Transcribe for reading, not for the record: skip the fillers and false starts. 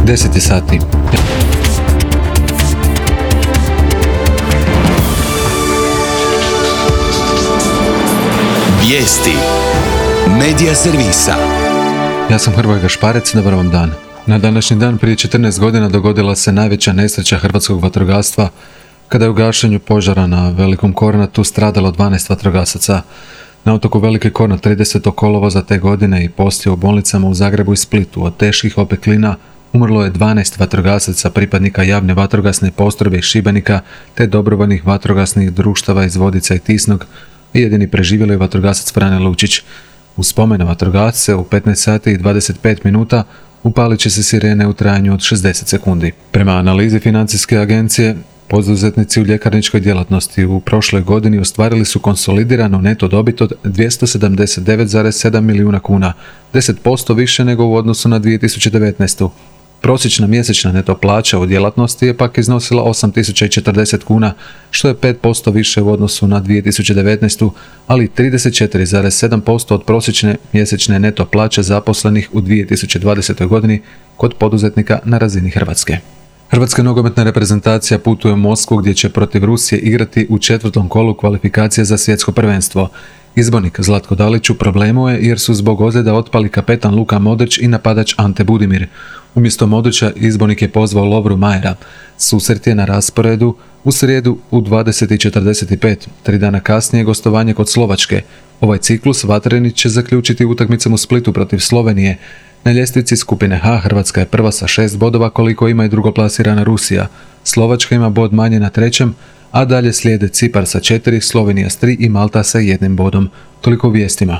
10 je sati. Vijesti Medija servisa. Ja sam Hrvoje Gašparec, dobar vam dan. Na današnji dan prije 14 godina dogodila se najveća nesreća hrvatskog vatrogastva kada je u gašenju požara na Velikom Kornatu stradalo 12 vatrogasaca. Na otoku Veliki Kornat 30. kolovoza te godine i poslije u bolnicama u Zagrebu i Splitu od teških opeklina umrlo je 12 vatrogasaca pripadnika javne vatrogasne postrojbe iz Šibenika te dobrovoljnih vatrogasnih društava iz Vodica i Tisnog, i jedini preživjeli je vatrogasac Frane Lučić. U spomen na vatrogasce u 15 sati i 25 minuta upalit će se sirene u trajanju od 60 sekundi. Prema analizi financijske agencije, poduzetnici u ljekarničkoj djelatnosti u prošloj godini ostvarili su konsolidiranu neto dobit od 279,7 milijuna kuna, 10% više nego u odnosu na 2019. Prosječna mjesečna neto plaća u djelatnosti je pak iznosila 8.040 kuna, što je 5% više u odnosu na 2019. ali 34,7% od prosječne mjesečne neto plaće zaposlenih u 2020. godini kod poduzetnika na razini Hrvatske. Hrvatska nogometna reprezentacija putuje u Moskvu gdje će protiv Rusije igrati u 4. kolu kvalifikacije za svjetsko prvenstvo. Izbornik Zlatko Dalić u problemu je jer su zbog ozljeda otpali kapetan Luka Modrić i napadač Ante Budimir. Umjesto Modrića izbornik je pozvao Lovru Majera. Susret je na rasporedu u srijedu u 20:45, 3 dana kasnije gostovanje kod Slovačke. Ovaj ciklus vatreni će zaključiti utakmicom u Splitu protiv Slovenije. Na ljestvici skupine H Hrvatska je prva sa 6 bodova koliko ima i drugoplasirana Rusija. Slovačka ima bod manje na 3., a dalje slijede Cipar sa 4, Slovenija s 3 i Malta sa 1 bodom. Toliko u vijestima.